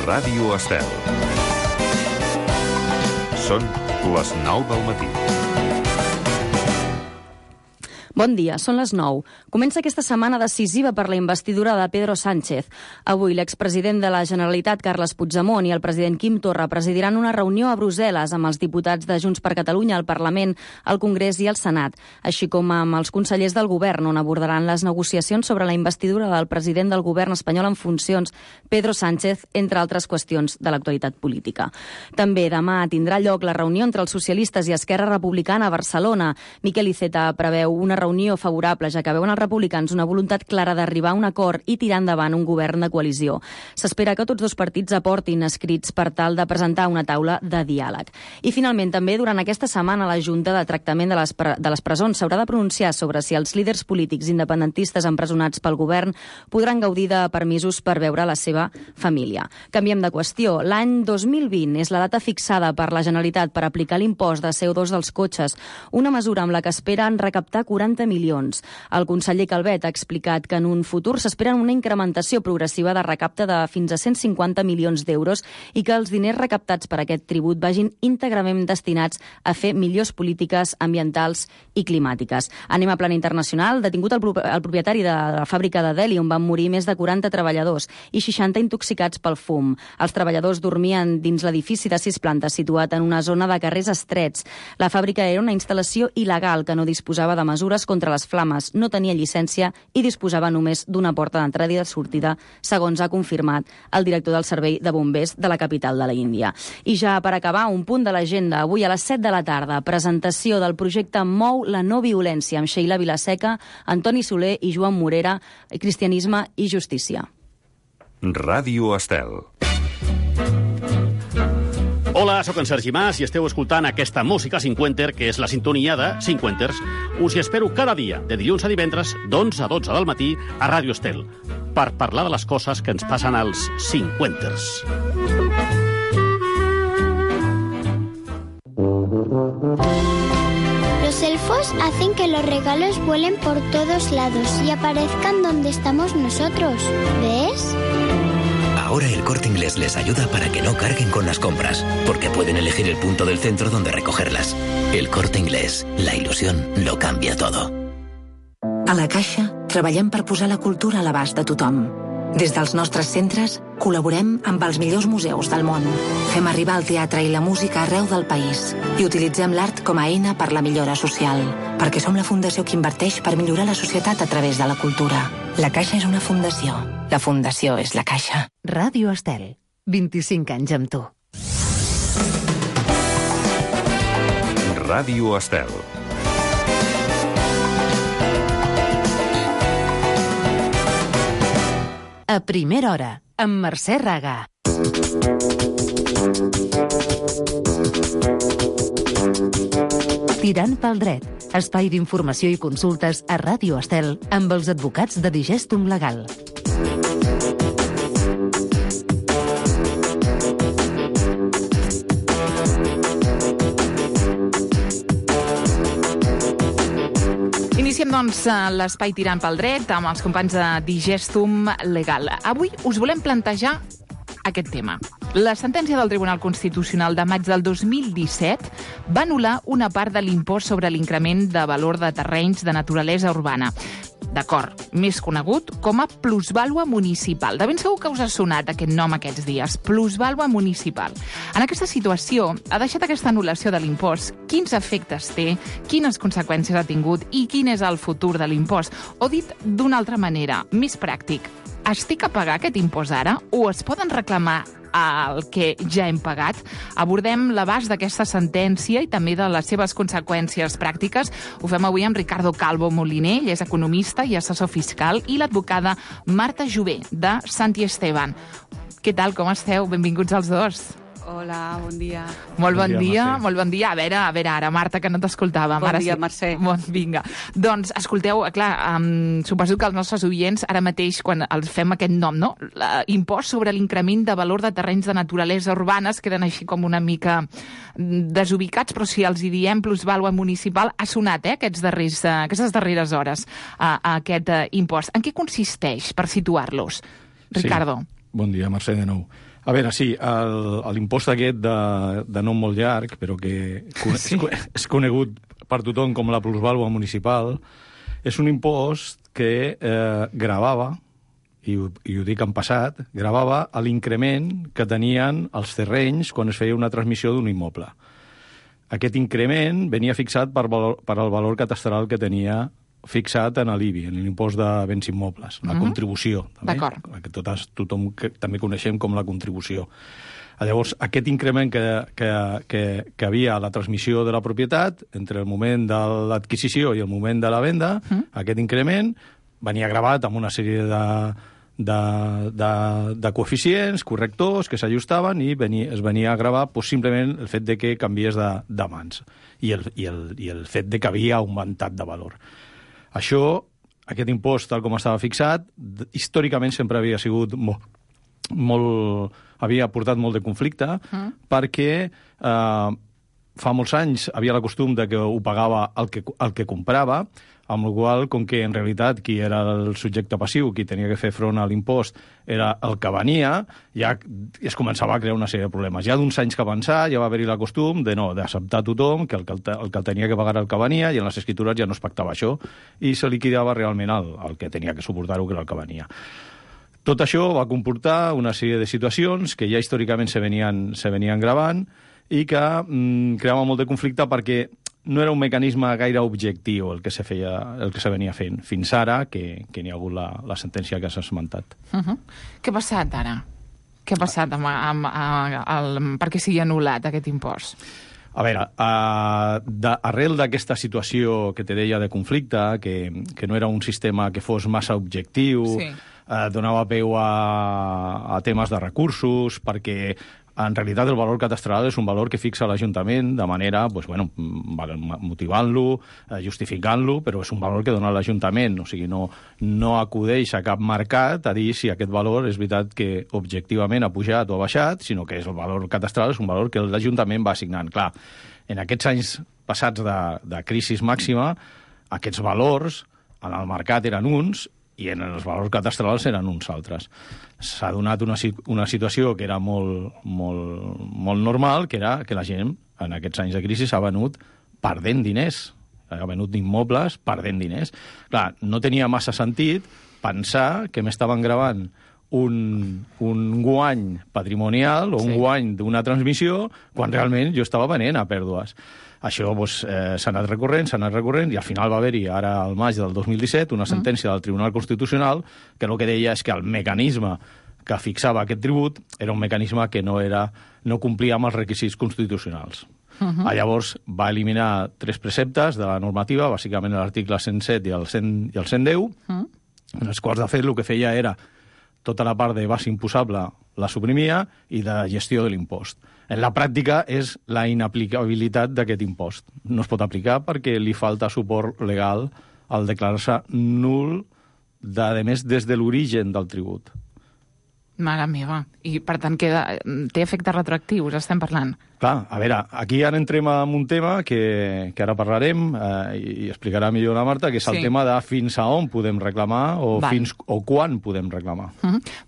Ràdio Estel. Són les 9 del matí. Bon dia, són les 9. Comença aquesta setmana decisiva per la investidura de Pedro Sánchez. Avui l'expresident de la Generalitat, Carles Puigdemont, i el president Quim Torra presidiran una reunió a Brussel·les amb els diputats de Junts per Catalunya, al Parlament, al Congrés i al Senat, així com amb els consellers del govern, on abordaran les negociacions sobre la investidura del president del govern espanyol en funcions, Pedro Sánchez, entre altres qüestions de l'actualitat política. També demà tindrà lloc la reunió entre els socialistes i Esquerra Republicana a Barcelona. Miquel Iceta preveu una reunió favorable, ja que veuen els republicans una voluntat clara d'arribar a un acord i tirar endavant un govern de coalició. S'espera que tots dos partits aportin escrits per tal de presentar una taula de diàleg. I finalment, també durant aquesta setmana, la Junta de Tractament de les Presons s'haurà de pronunciar sobre si els líders polítics independentistes empresonats pel govern podran gaudir de permisos per veure la seva família. Canviem de qüestió. L'any 2020 és la data fixada per la Generalitat per aplicar l'impost de CO2 dels cotxes, una mesura amb la que esperen recaptar 40 milions. El conseller Calvet ha explicat que en un futur s'espera una incrementació progressiva de recapte de fins a 150 milions d'euros i que els diners recaptats per aquest tribut vagin íntegrament destinats a fer millors polítiques ambientals i climàtiques. Anem a plan internacional. Detingut el propietari de la fàbrica de Delhi, on van morir més de 40 treballadors i 60 intoxicats pel fum. Els treballadors dormien dins l'edifici de 6 plantes situat en una zona de carrers estrets. La fàbrica era una instal·lació il·legal que no disposava de mesures contra les flames, no tenia llicència i disposava només d'una porta d'entrada i de sortida, segons ha confirmat el director del Servei de Bombers de la capital de l'Índia. I ja per acabar, un punt de l'agenda. Avui a les 7 de la tarda, presentació del projecte Mou la no violència amb Sheila Vilaseca, Antoni Soler i Joan Morera, Cristianisme i Justícia. Ràdio Estel. Hola, sóc en Sergi Mas i esteu escoltant aquesta música cinquenter, que és la sintonia de Cinquenters. Us hi espero cada dia, de dilluns a divendres, d'11 a 12 del matí, a Ràdio Estel, per parlar de les coses que ens passen als cinquenters. Los elfos hacen que los regalos vuelen por todos lados y aparezcan donde estamos nosotros. ¿Ves? Ahora el Corte Inglés les ayuda para que no carguen con las compras, porque pueden elegir el punto del centro donde recogerlas. El Corte Inglés, la ilusión lo cambia todo. A la Caixa treballem per posar la cultura a l'abast de tothom. Des dels nostres centres col·laborem amb els millors museus del món. Fem arribar el teatre i la música arreu del país i utilitzem l'art com a eina per la millora social, perquè som la fundació que inverteix per millorar la societat a través de la cultura. La Caixa és una fundació. La fundació és la Caixa. Ràdio Estel. 25 anys amb tu. Ràdio Estel. A primera hora, amb Mercè Raga. Tirant pel dret, espai d'informació i consultes a Ràdio Estel amb els advocats de Digestum Legal. Iniciem, doncs, l'espai Tirant pel dret amb els companys de Digestum Legal. Avui us volem plantejar aquest tema. La sentència del Tribunal Constitucional de maig del 2017 va anul·lar una part de l'impost sobre l'increment de valor de terrenys de naturalesa urbana. D'acord, més conegut com a plusvàlua municipal. De ben segur que us ha sonat aquest nom aquests dies, plusvàlua municipal. En aquesta situació, ha deixat aquesta anul·lació de l'impost, quins efectes té, quines conseqüències ha tingut i quin és el futur de l'impost? O dit d'una altra manera, més pràctic, estic a pagar aquest impost ara o es poden reclamar el que ja hem pagat? Abordem l'abast d'aquesta sentència i també de les seves conseqüències pràctiques. Ho fem avui amb Ricardo Calvo Moliner, ell és economista i assessor fiscal, i l'advocada Marta Jové, de Santi Esteban. Què tal, com esteu? Benvinguts els dos. Hola, bon dia. Molt bon dia, molt bon dia. A veure ara, Marta, que no t'escoltàvem. Bon dia, Mercè. Vinga. Doncs, escolteu, clar, suposo que els nostres oients, ara mateix, quan els fem aquest nom, no? Impost sobre l'increment de valor de terrenys de naturalesa urbana, es queden així com una mica desubicats, però si els hi diem plusvàlua municipal, ha sonat, aquestes darreres hores, aquest impost. En què consisteix, per situar-los? Ricardo. Sí. Bon dia, Mercè, de nou. A veure, sí, l'impost aquest de nom molt llarg, però que és conegut per tothom com la plusvàlua municipal, és un impost que gravava, i ho dic en passat, gravava l'increment que tenien els terrenys quan es feia una transmissió d'un immoble. Aquest increment venia fixat per al valor catastral que tenia fixat en l'IBI, en l'impost de béns immobles, la contribució. Que tothom també coneixem com la contribució. Llavors, aquest increment que havia a la transmissió de la propietat, entre el moment de l'adquisició i el moment de la venda, aquest increment venia gravat amb una sèrie de coeficients, correctors, que s'ajustaven i es venia a gravar simplement el fet de que canvies de mans i el fet de que havia augmentat de valor. Això, aquest impost, tal com estava fixat, històricament sempre havia sigut havia portat molt de conflicte, perquè fa molts anys havia la costum de que ho pagava el que comprava, amb la qual cosa, com que en realitat qui era el subjecte passiu, qui tenia que fer front a l'impost, era el que venia, ja es començava a crear una sèrie de problemes. Ja d'uns anys que avançar ja va haver-hi la costum d'acceptar tothom que el que tenia que pagar era el que venia, i en les escritures ja no es pactava això, i se liquidava realment el que tenia que suportar-ho, que era el que venia. Tot això va comportar una sèrie de situacions que ja històricament se venien gravant i que creava molt de conflicte perquè no era un mecanisme gaire objectiu el que se venia fent, fins ara que n'hi ha hagut la sentència que s'ha esmentat. Què ha passat ara? Què ha passat perquè sigui anul·lat aquest impost? A veure, arrel d'aquesta situació que te deia de conflicte, que no era un sistema que fos massa objectiu, donava peu a temes de recursos, perquè en realitat el valor catastral és un valor que fixa l'Ajuntament de manera, motivant-lo, justificant-lo, però és un valor que dona l'Ajuntament, o sigui, no acudeix a cap mercat a dir si aquest valor és veritat que objectivament ha pujat o ha baixat, sinó que és el valor catastral, és un valor que l'Ajuntament va assignant. Clar, en aquests anys passats de crisi màxima, aquests valors en el mercat eren uns i en els valors catastrals eren uns altres. S'ha donat una situació que era molt normal, que era que la gent, en aquests anys de crisi, s'ha venut perdent diners. Ha venut immobles perdent diners. Clar, no tenia massa sentit pensar que m'estaven gravant un guany patrimonial o un guany d'una transmissió quan realment jo estava venent a pèrdues. Això s'ha anat recorrent, i al final va haver-hi, ara al maig del 2017, una sentència del Tribunal Constitucional que el que deia és que el mecanisme que fixava aquest tribut era un mecanisme que no complia amb els requisits constitucionals. Llavors va eliminar 3 preceptes de la normativa, bàsicament l'article 107 i el 110, en els quals, de fet, el que feia era tota la part de base imposable la suprimia i de gestió de l'impost. En la pràctica és la inaplicabilitat d'aquest impost. No es pot aplicar perquè li falta suport legal al declarar-se nul, a més, des de l'origen del tribut. Mare meva. I, per tant, té efectes retroactius, estem parlant. Clar, a veure, aquí ara entrem en un tema que ara parlarem i explicarà millor la Marta, que és el tema de fins a on podem reclamar o quan podem reclamar.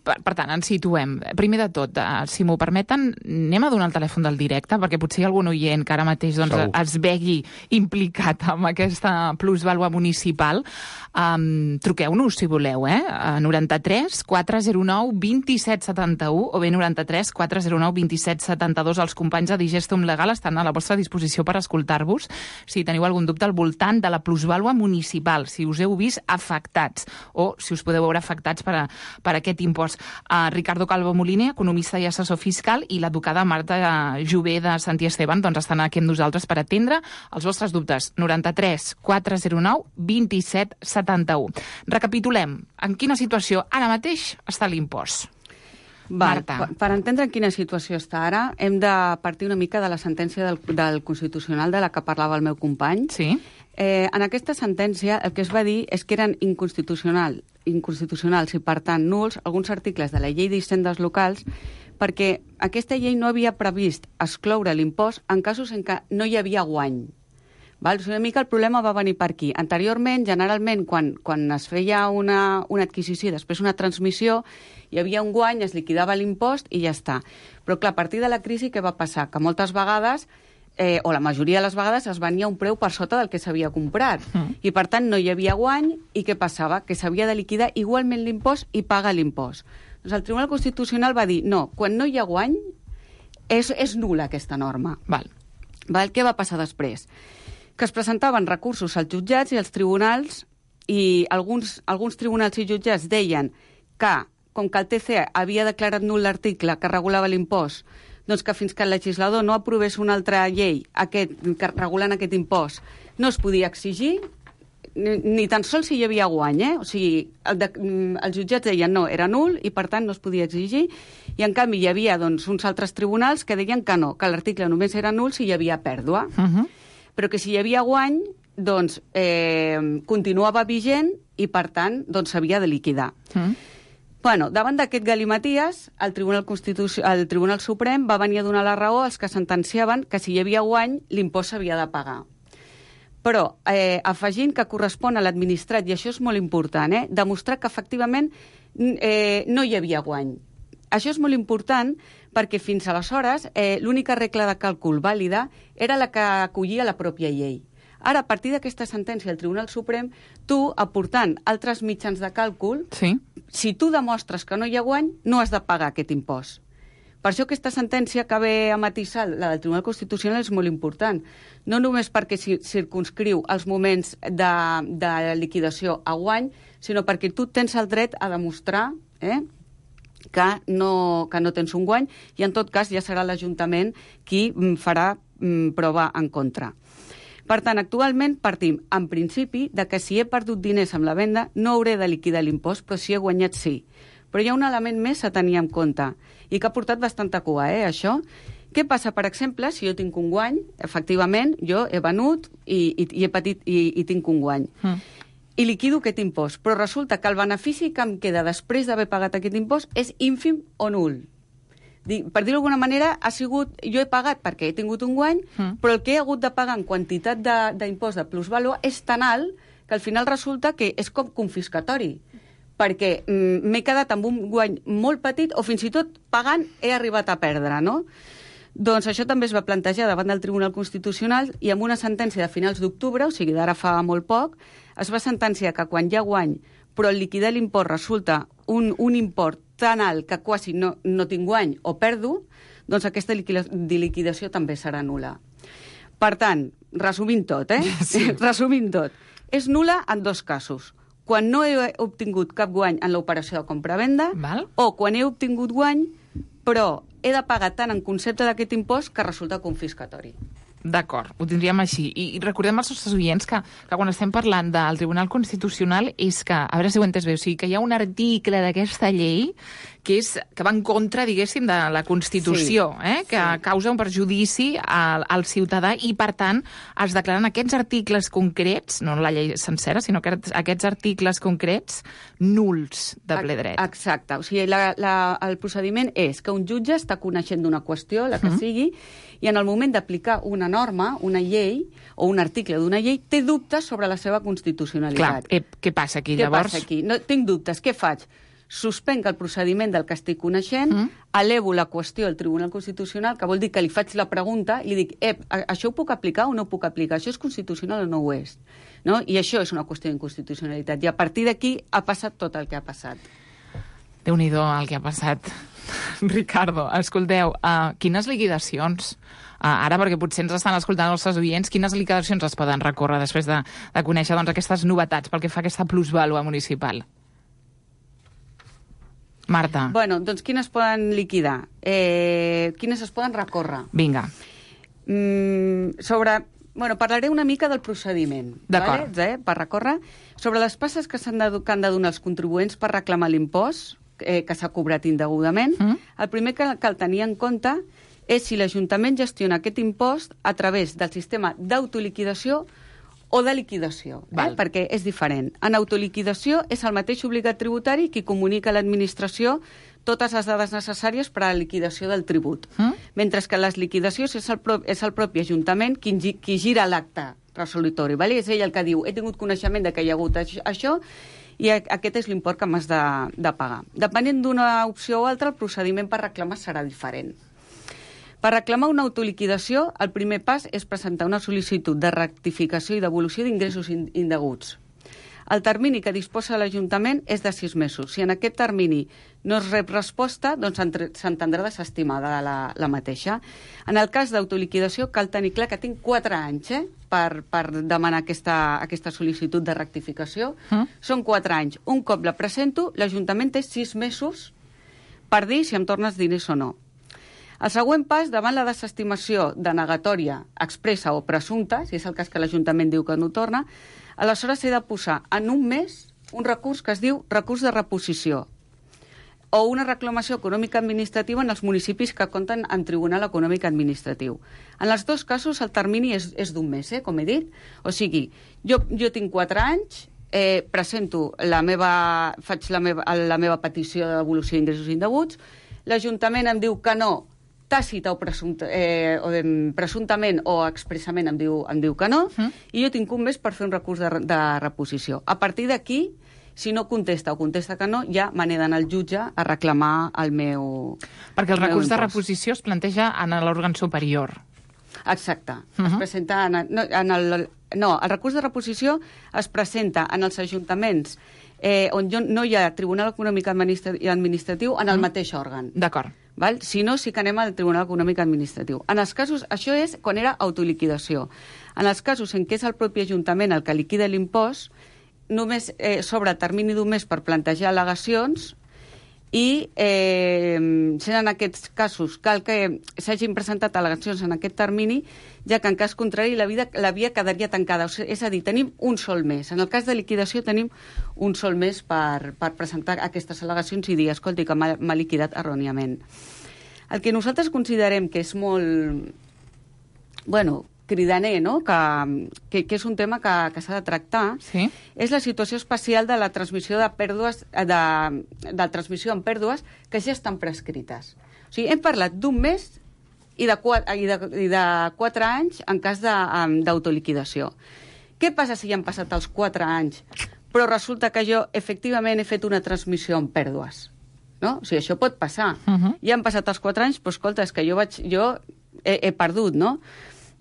Per tant, ens situem. Primer de tot, si m'ho permeten, anem a donar el telèfon del directe, perquè potser hi ha algun oient que ara mateix es vegi implicat amb aquesta plusvàlua municipal. Truqueu-nos, si voleu, a 93 409 2771 o bé 93 409 2772. Els companys de Digestum Legal estan a la vostra disposició per escoltar-vos si teniu algun dubte al voltant de la plusvàlua municipal, si us heu vist afectats o si us podeu veure afectats per aquest impost. Ricardo Calvo Moliner, economista i assessor fiscal, i l'advocada Marta Jové de Santi Esteban estan aquí amb nosaltres per atendre els vostres dubtes. 93 409 2771. Recapitulem. En quina situació ara mateix està l'impost? Marta. Per entendre en quina situació està ara, hem de partir una mica de la sentència del Constitucional de la que parlava el meu company. Sí. En aquesta sentència el que es va dir és que eren inconstitucionals i, per tant, nuls alguns articles de la llei d'hisendes locals perquè aquesta llei no havia previst excloure l'impost en casos en què no hi havia guany. Val? O sigui, una mica el problema va venir per aquí. Anteriorment, generalment, quan es feia una adquisició i després una transmissió, hi havia un guany, es liquidava l'impost i ja està. Però, clar, a partir de la crisi, què va passar? Que moltes vegades, o la majoria de les vegades, es venia un preu per sota del que s'havia comprat. I, per tant, no hi havia guany. I què passava? Que s'havia de liquidar igualment l'impost i pagar l'impost. Doncs el Tribunal Constitucional va dir, no, quan no hi ha guany, és nul·la aquesta norma. Val. Què va passar després? Que es presentaven recursos als jutjats i als tribunals, i alguns tribunals i jutjats deien que, com que el TC havia declarat nul l'article que regulava l'impost, doncs que fins que el legislador no aprovés una altra llei regulant aquest impost, no es podia exigir, ni tan sols si hi havia guany, O sigui, els jutjats deien no, era nul i per tant no es podia exigir, i en canvi hi havia doncs, uns altres tribunals que deien que no, que l'article només era nul si hi havia pèrdua, però que si hi havia guany, doncs continuava vigent i per tant doncs s'havia de liquidar. Bueno, davant d'aquest galimaties, el Tribunal Suprem va venir a donar la raó als que sentenciaven que si hi havia guany, l'impost s'havia de pagar. Però afegint que correspon a l'administrat, i això és molt important, demostrar que efectivament no hi havia guany. Això és molt important perquè fins aleshores l'única regla de càlcul vàlida era la que acollia la pròpia llei. Ara, a partir d'aquesta sentència del Tribunal Suprem, tu, aportant altres mitjans de càlcul, si tu demostres que no hi ha guany, no has de pagar aquest impost. Per això aquesta sentència que ve a matisar, la del Tribunal Constitucional, és molt important. No només perquè circunscriu els moments de liquidació a guany, sinó perquè tu tens el dret a demostrar que no tens un guany, i en tot cas ja serà l'Ajuntament qui farà prova en contra. Per tant, actualment partim, en principi, de que si he perdut diners amb la venda no hauré de liquidar l'impost, però si he guanyat sí. Però hi ha un element més a tenir en compte, i que ha portat bastanta cua, això. Què passa, per exemple, si jo tinc un guany, efectivament, jo he venut i he patit i tinc un guany, i liquido aquest impost, però resulta que el benefici que em queda després d'haver pagat aquest impost és ínfim o nul. Per dir-ho d'alguna manera, jo he pagat perquè he tingut un guany, però el que he hagut de pagar en quantitat d'impost de plusvàlua és tan alt que al final resulta que és com confiscatori, perquè m'he quedat amb un guany molt petit o fins i tot pagant he arribat a perdre, no? Doncs això també es va plantejar davant del Tribunal Constitucional i amb una sentència de finals d'octubre, o sigui d'ara fa molt poc, es va sentenciar que quan hi ha guany però el liquidar l'impost resulta un import tan alt que quasi no tinc guany o perdo, doncs aquesta liquidació també serà nul·la. Per tant, resumint tot, resumint tot, és nul·la en dos casos. Quan no he obtingut cap guany en l'operació de compra-venda, o quan he obtingut guany, però he de pagar tant en concepte d'aquest impost que resulta confiscatori. D'acord, ho tindríem així. I recordem als nostres oients que quan estem parlant del Tribunal Constitucional és que, a veure si ho he entès bé, o sigui que hi ha un article d'aquesta llei que va en contra, diguéssim, de la Constitució, que causa un perjudici al ciutadà i, per tant, es declaren aquests articles concrets, no la llei sencera, sinó que aquests articles concrets nuls de ple dret. Exacte. O sigui, el procediment és que un jutge està coneixent d'una qüestió, la que sigui, i en el moment d'aplicar una norma, una llei, o un article d'una llei, té dubtes sobre la seva constitucionalitat. Clar, què passa aquí, llavors? Què passa aquí? No, tinc dubtes, què faig? Suspenc el procediment del que estic coneixent, elevo la qüestió al Tribunal Constitucional, que vol dir que li faig la pregunta i li dic, això ho puc aplicar o no ho puc aplicar? Això és constitucional o no ho és? No? I això és una qüestió d'inconstitucionalitat. I a partir d'aquí ha passat tot el que ha passat. Déu-n'hi-do el que ha passat. Ricardo, escolteu, quines liquidacions? Ara, perquè potser ens estan escoltant els nostres oients, quines liquidacions es poden recórrer després de conèixer aquestes novetats pel que fa a aquesta plusvàlua municipal? Marta. Bueno, doncs quines poden liquidar? Quines es poden recórrer? Vinga. Parlaré una mica del procediment. D'acord. Per recórrer. Sobre les passes que han de donar els contribuents per reclamar l'impost que s'ha cobrat indegudament, el primer que cal tenir en compte és si l'Ajuntament gestiona aquest impost a través del sistema d'autoliquidació o de liquidació, perquè és diferent. En autoliquidació és el mateix obligat tributari qui comunica a l'administració totes les dades necessàries per a la liquidació del tribut. Mentre que les liquidacions és el propi Ajuntament qui gira l'acte resolutori. Vale? És ell el que diu, he tingut coneixement de que hi ha hagut això i aquest és l'import que m'has de pagar. Depenent d'una opció o altra, el procediment per reclamar serà diferent. Per reclamar una autoliquidació, el primer pas és presentar una sol·licitud de rectificació i devolució d'ingressos indeguts. El termini que disposa l'Ajuntament és de 6 mesos. Si en aquest termini no es rep resposta, doncs s'entendrà desestimada la mateixa. En el cas d'autoliquidació cal tenir clar que tinc 4 anys per demanar aquesta sol·licitud de rectificació. Són 4 anys. Un cop la presento, l'Ajuntament té 6 mesos per dir si em tornes diners o no. El següent pas, davant la desestimació denegatòria expressa o presumpta, si és el cas que l'Ajuntament diu que no torna, aleshores he de posar en un mes un recurs que es diu recurs de reposició o una reclamació econòmica administrativa en els municipis que compten en Tribunal Econòmic Administratiu. En els dos casos el termini és d'un mes, com he dit. O sigui, jo tinc 4 anys, presento faig la meva petició de devolució d'ingressos indeguts, l'Ajuntament em diu que no, tàcita o presumptament o expressament em diu que no, i jo tinc un mes per fer un recurs de reposició. A partir d'aquí, si no contesta o contesta que no, ja me n'he d'anar al jutge a reclamar el meu Perquè el recurs de reposició es planteja en l'òrgan superior. Exacte. Es presenta el recurs de reposició es presenta en els ajuntaments on no hi ha Tribunal Econòmic Administratiu en el mateix òrgan. D'acord. Si no, sí que anem al Tribunal Econòmic Administratiu. En els casos, això és quan era autoliquidació. En els casos en què és el propi Ajuntament el que liquida l'impost, només s'obre el termini d'un mes per plantejar al·legacions i sent en aquests casos cal que s'hagin presentat al·legacions en aquest termini, ja que en cas contrari la via quedaria tancada. És a dir, tenim un sol mes. En el cas de liquidació tenim un sol mes per presentar aquestes al·legacions i dir, escolti, que m'ha liquidat erròniament. El que nosaltres considerem que és molt cridaner, no? que és un tema que s'ha de tractar, és la situació especial de la transmissió de pèrdues, de transmissió en pèrdues que ja estan prescrites. O sigui, hem parlat d'un mes i de 4 anys en cas d'autoliquidació. Què passa si ja han passat els 4 anys, però resulta que jo efectivament he fet una transmissió en pèrdues? No? O sigui, això pot passar. Ja han passat els 4 anys, però escolta, és que jo he perdut, no?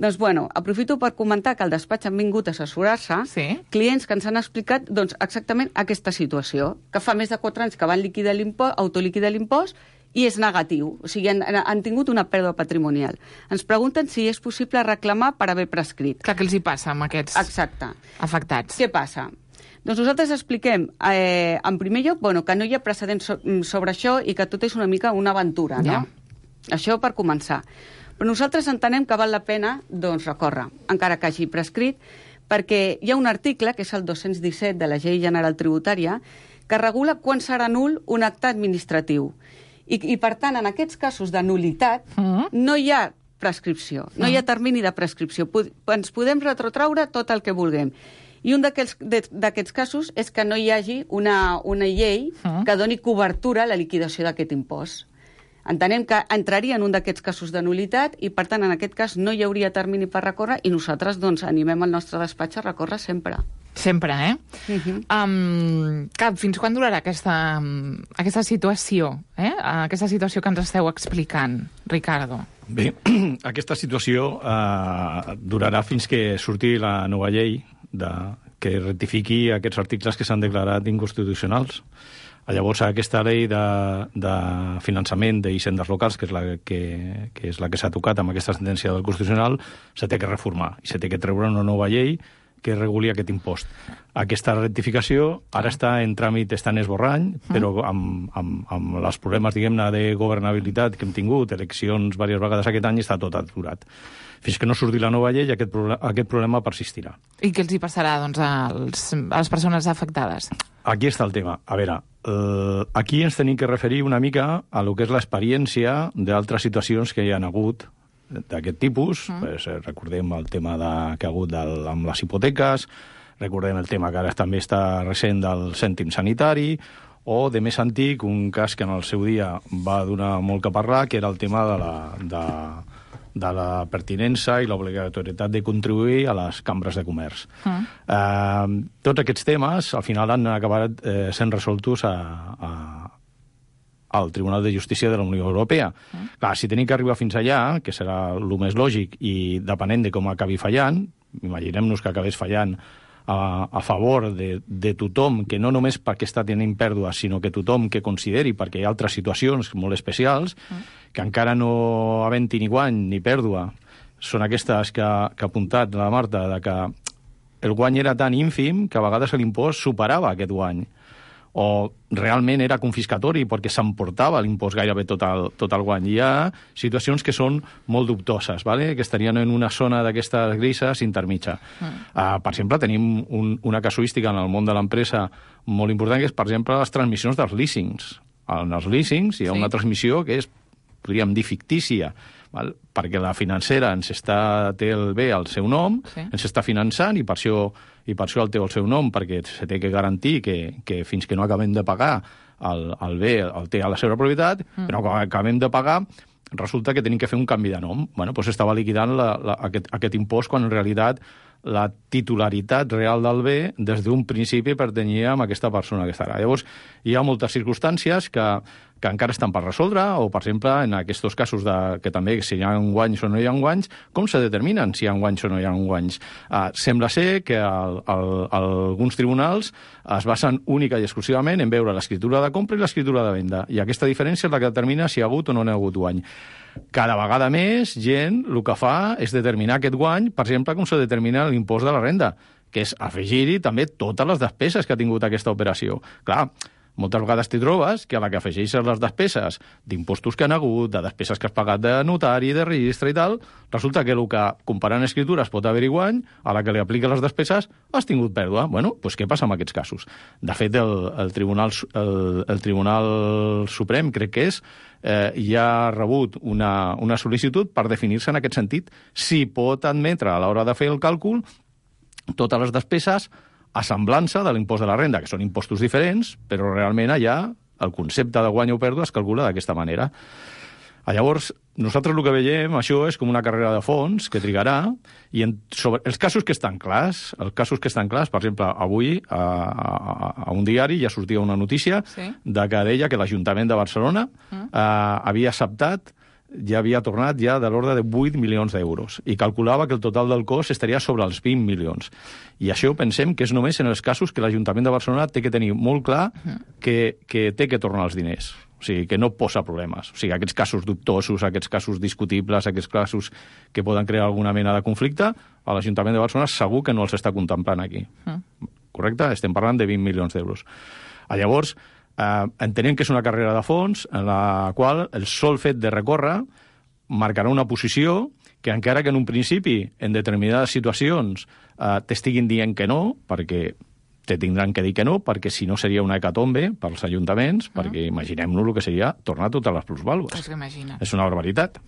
Doncs, aprofito per comentar que al despatx han vingut a assessorar-se clients que ens han explicat exactament aquesta situació, que fa més de 4 anys que van autoliquidar l'impost i és negatiu, o sigui, han tingut una pèrdua patrimonial. Ens pregunten si és possible reclamar per haver prescrit. Clar, què els hi passa amb aquests afectats? Què passa? Doncs nosaltres expliquem, en primer lloc, que no hi ha precedents sobre això i que tot és una mica una aventura, no? Això per començar. Però nosaltres entenem que val la pena recórrer, encara que hagi prescrit, perquè hi ha un article, que és el 217 de la Llei General Tributària, que regula quan serà nul un acte administratiu. I per tant, en aquests casos de nulitat, no hi ha prescripció, no hi ha termini de prescripció. Ens podem retrotraure tot el que vulguem. I un d'aquests casos és que no hi hagi una llei que doni cobertura a la liquidació d'aquest impost. Entenem que entraria en un d'aquests casos de nulitat i, per tant, en aquest cas no hi hauria termini per recórrer i nosaltres animem el nostre despatx a recórrer sempre. Sempre, fins quan durarà aquesta situació, aquesta situació que ens esteu explicant, Ricardo? Bé, aquesta situació durarà fins que surti la nova llei que rectifiqui aquests articles que s'han declarat inconstitucionals. Llavors, aquesta llei de finançament d'hisendes locals, que és la que s'ha tocat amb aquesta sentència del Constitucional, s'ha de reformar i s'ha de treure una nova llei que reguli aquest impost. Aquesta rectificació ara està en tràmit, està en esborrany, però amb els problemes, diguem-ne, de governabilitat que hem tingut, eleccions diverses vegades aquest any, està tot aturat. Fins que no surti la nova llei, aquest problema persistirà. I què els hi passarà, a les persones afectades? Aquí està el tema. A veure, aquí ens tenim que referir una mica a lo que és l'experiència d'altres situacions que hi ha hagut d'aquest tipus. Recordem el tema que ha hagut amb les hipoteques, recordem el tema que ara també està recent del cèntim sanitari, o de més antic, un cas que en el seu dia va donar molt que parlar, que era el tema de la pertinença i l'obligatorietat de contribuir a les cambres de comerç. Tots aquests temes, al final, han acabat sent resoltos al Tribunal de Justícia de la Unió Europea. Clar, si tenim que arribar fins allà, que serà el més lògic, i depenent de com acabi fallant, imaginem-nos que acabés fallant a favor de tothom, que no només perquè està tenint pèrdues, sinó que tothom que consideri, perquè hi ha altres situacions molt especials, que encara no havent-hi ni guany ni pèrdua, són aquestes que ha apuntat la Marta, de que el guany era tan ínfim que a vegades l'impost superava aquest guany, o realment era confiscatori perquè s'emportava l'impost gairebé tot el guany. Hi ha situacions que són molt dubtoses, ¿vale? Que estarien en una zona d'aquestes grises intermitja. Per exemple, tenim una casuística en el món de l'empresa molt important, que és, per exemple, les transmissions dels leasings. En els leasings hi ha una transmissió que és, podríem dir, fictícia, val? Perquè la financera té el bé al seu nom, ens està finançant, i per això el té el seu nom, perquè se té que garantir que fins que no acabem de pagar el bé el té a la seva propietat, però quan acabem de pagar resulta que tenim que fer un canvi de nom. Bueno, doncs estava liquidant aquest impost quan en realitat la titularitat real del bé des d'un principi pertanyia a aquesta persona que estarà. Llavors, hi ha moltes circumstàncies que encara estan per resoldre, o, per exemple, en aquests casos que també si hi ha guanys o no hi ha guanys, com se determinen si hi ha guanys o no hi ha guanys? Sembla ser que alguns tribunals es basen única i exclusivament en veure l'escriptura de compra i l'escriptura de venda, i aquesta diferència és la que determina si hi ha hagut o no hi ha hagut guany. Cada vegada més gent el que fa és determinar aquest guany, per exemple, com se determina l'impost de la renda, que és afegir-hi també totes les despeses que ha tingut aquesta operació. Clar, moltes vegades t'hi trobes que a la que afegeixes les despeses d'impostos que han hagut, de despeses que has pagat de notari, de registre i tal, resulta que el que comparant escritures pot haver-hi guany, a la que li apliques les despeses has tingut pèrdua. Bueno, doncs què passa amb aquests casos? De fet, el Tribunal Suprem, crec que és, ja ha rebut una sol·licitud per definir-se en aquest sentit si pot admetre a l'hora de fer el càlcul totes les despeses a semblança de l'impost de la renda, que són impostos diferents, però realment allà el concepte de guany o pèrdua es calcula d'aquesta manera. Llavors, nosaltres el que veiem, això és com una carrera de fons que trigarà, i sobre els casos que estan clars, per exemple, avui a un diari ja sortia una notícia de que deia que l'Ajuntament de Barcelona havia acceptat, ja havia tornat ja de l'ordre de 8 milions d'euros, i calculava que el total del cost estaria sobre els 20 milions. I això pensem que és només en els casos que l'Ajuntament de Barcelona té que tenir molt clar que té que tornar els diners. O sigui, que no posa problemes. O sigui, aquests casos dubtosos, aquests casos discutibles, aquests casos que poden crear alguna mena de conflicte, a l'Ajuntament de Barcelona segur que no els està contemplant aquí. Correcte? Estem parlant de 20 milions d'euros. Llavors, entenem que és una carrera de fons en la qual el sol fet de recórrer marcarà una posició que, encara que en un principi, en determinades situacions, t'estiguin dient que no, perquè te tindran que dir que no, perquè si no seria una hecatombe pels ajuntaments, perquè imaginem-nos el que seria tornar totes les plusvàlues. És una barbaritat.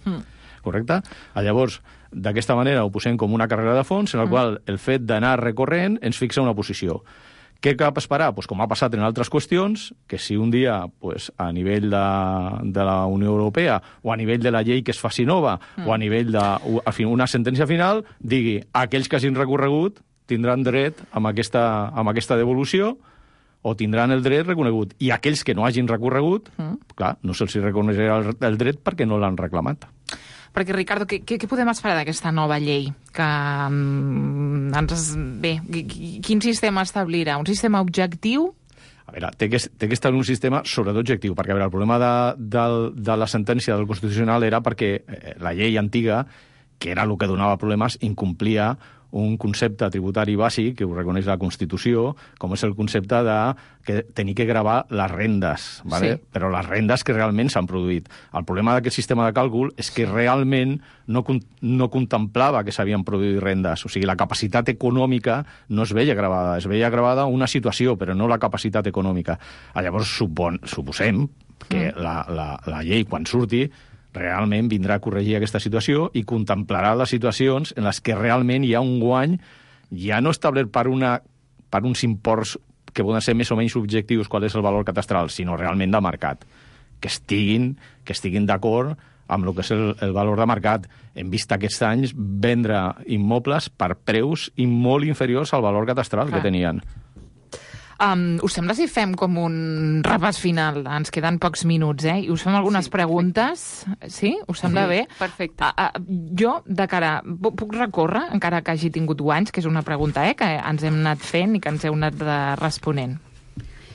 Correcte? Llavors, d'aquesta manera ho posem com una carrera de fons en la qual el fet d'anar recorrent ens fixa una posició. Què cal esperar? Pues com ha passat en altres qüestions, que si un dia a nivell de la Unió Europea o a nivell de la llei que es faci nova o a nivell d'una sentència final, digui aquells que hagin recorregut tindran dret amb aquesta devolució o tindran el dret reconegut. I aquells que no hagin recorregut, clar, no se'ls reconeixerà el dret perquè no l'han reclamat. Perquè, Ricardo, què podem esperar d'aquesta nova llei? Quin sistema establirà? Un sistema objectiu? A veure, té que estar en un sistema sobretot objectiu, perquè el problema de la sentència del Constitucional era perquè la llei antiga, que era el que donava problemes, incomplia un concepte tributari bàsic que ho reconeix la Constitució, com és el concepte de tenir que gravar les rendes, ¿vale? Sí. Però les rendes que realment s'han produït. El problema d'aquest sistema de càlcul és que realment no contemplava que s'havien produït rendes. O sigui, la capacitat econòmica no es veia gravada. Es veia gravada una situació, però no la capacitat econòmica. Llavors, suposem que la llei, quan surti, realment vindrà a corregir aquesta situació i contemplarà les situacions en les que realment hi ha un guany ja no establert per uns imports que poden ser més o menys objectius qual és el valor catastral, sinó realment de mercat, que estiguin d'acord amb el que és el valor de mercat. Hem vist aquests anys vendre immobles per preus molt inferiors al valor catastral que tenien. Us sembla si fem com un repàs final? Ens queden pocs minuts, i us fem algunes preguntes. Sí? Us sembla bé? Perfecte. Jo, de cara... Puc recórrer, encara que hagi tingut guanys, que és una pregunta que ens hem anat fent i que ens heu anat responent.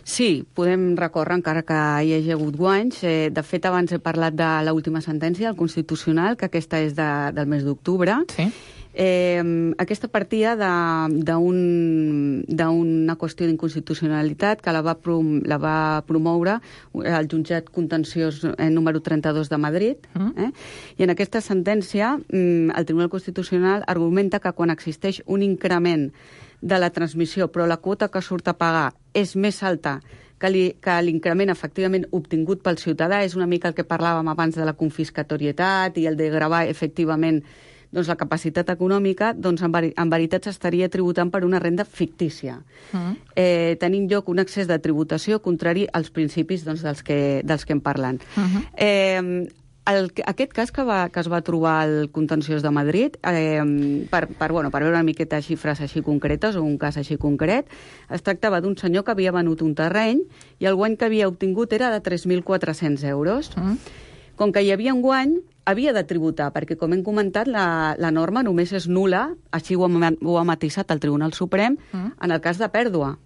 Sí, podem recórrer encara que hi hagi hagut guanys. De fet, abans he parlat de l'última sentència del Constitucional, que aquesta és del mes d'octubre. Sí. Aquesta partia d'una qüestió d'inconstitucionalitat que la va promoure el jutjat contenciós número 32 de Madrid. I en aquesta sentència el Tribunal Constitucional argumenta que quan existeix un increment de la transmissió però la quota que surt a pagar és més alta que l'increment efectivament obtingut pel ciutadà, és una mica el que parlàvem abans de la confiscatorietat i el de gravar efectivament la capacitat econòmica, doncs en veritat s'estaria tributant per una renda fictícia, tenint lloc un excés de tributació contrari als principis dels que en parlen. Aquest cas que es va trobar al contenciós de Madrid, per veure una miqueta xifres així concretes, o un cas així concret, es tractava d'un senyor que havia venut un terreny i el guany que havia obtingut era de 3.400 euros. Com que hi havia un guany, havia de tributar, perquè, com hem comentat, la norma només és nul·la, així ho ha matisat el Tribunal Suprem, en el cas de pèrdua.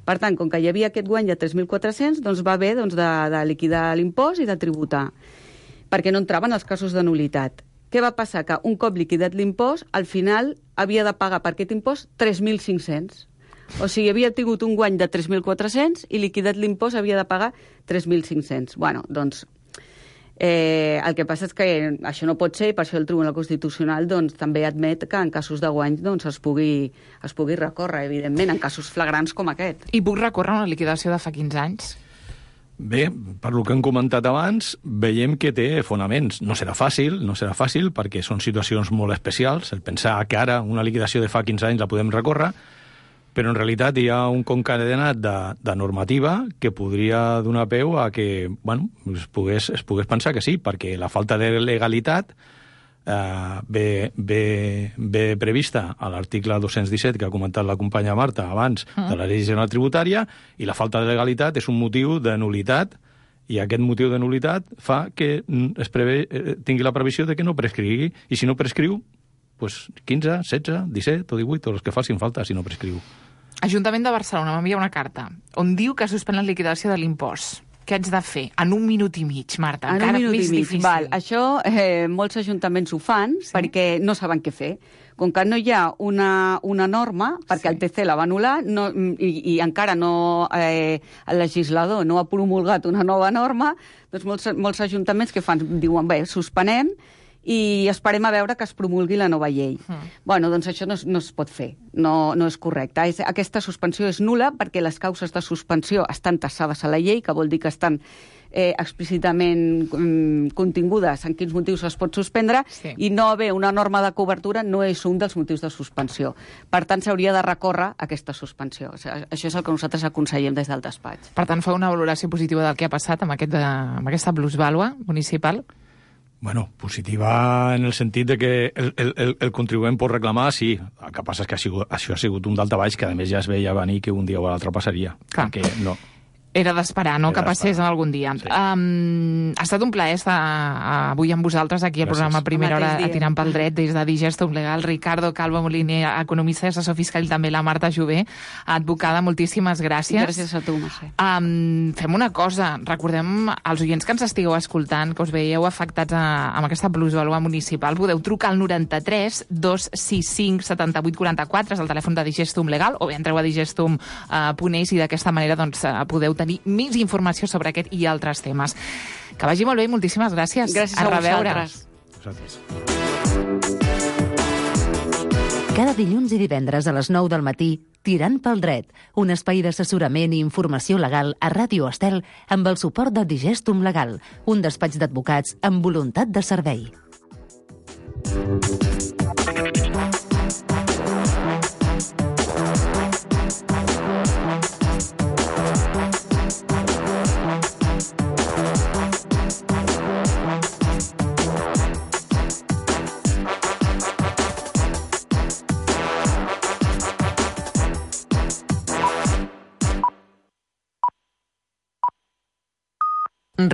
Per tant, com que hi havia aquest guany de 3.400, doncs va haver de liquidar l'impost i de tributar, perquè no entraven els casos de nul·litat. Què va passar? Que un cop liquidat l'impost, al final havia de pagar per aquest impost 3.500. O sigui, havia tingut un guany de 3.400 i liquidat l'impost havia de pagar 3.500. Bueno, doncs... el que passa és que això no pot ser i per això el Tribunal Constitucional també admet que en casos de guanys es pugui recórrer, evidentment, en casos flagrants com aquest. I puc recórrer una liquidació de fa 15 anys? Bé, per lo que hem comentat abans, veiem que té fonaments. No serà fàcil perquè són situacions molt especials. El pensar que ara una liquidació de fa 15 anys la podem recórrer, però en realitat hi ha un concatenat de normativa que podria donar peu a que es pogués pensar que sí, perquè la falta de legalitat ve prevista a l'article 217 que ha comentat la companya Marta abans de la Llei General Tributària, i la falta de legalitat és un motiu de nul·litat, i aquest motiu de nul·litat fa que tingui la previsió de que no prescrigui, i si no prescriu, doncs 15, 16, 17 o 18, o els que facin falta si no prescriu. Ajuntament de Barcelona m'envia una carta on diu que suspèn la liquidació de l'impost. Què haig de fer? En 1 minut i mig, Marta. En encara 1 minut més i mig. difícil. Val. Això molts ajuntaments ho fan perquè no saben què fer. Com que no hi ha una norma, perquè el TC la va anul·lar i encara no el legislador no ha promulgat una nova norma, doncs molts ajuntaments que fan? Diuen, bé, suspenem i esperem a veure que es promulgui la nova llei. Bueno, doncs això no es pot fer, no és correcte. Aquesta suspensió és nul·la perquè les causes de suspensió estan tassades a la llei, que vol dir que estan explícitament contingudes en quins motius es pot suspendre, i no haver una norma de cobertura no és un dels motius de suspensió. Per tant, s'hauria de recórrer aquesta suspensió. Això és el que nosaltres aconsellem des del despatx. Per tant, fa una valoració positiva del que ha passat amb aquesta plusvàlua municipal? Bueno, positiva en el sentit de que el contribuent pot reclamar, sí. El que passa és que això ha sigut un daltabaix que, a més, ja es veia venir que un dia o l'altre passaria. Clar. Perquè no... Era d'esperar, no?, que passés en algun dia. Sí. Ha estat un plaer estar avui amb vosaltres aquí al programa Primera Hora a Tirant pel Dret des de Digestum Legal. Ricardo Calvo Moliner, economista i assessor fiscal, i també la Marta Jové, advocada. Moltíssimes gràcies. Gràcies a tu, Mercè. Fem una cosa, recordem als oients que ens estigueu escoltant, que us veieu afectats amb aquesta plusvàlua municipal, podeu trucar al 93 265 78 44, és el telèfon de Digestum Legal, o bé entreu a digestum.es i d'aquesta manera podeu tenir més informació sobre aquest i altres temes. Que vagi molt bé i moltíssimes gràcies. Gràcies a vosaltres. Cada dilluns i divendres a les 9 del matí, Tirant pel Dret, un espai d'assessorament i informació legal a Ràdio Estel amb el suport de Digestum Legal, un despatx d'advocats amb voluntat de servei. Ràdio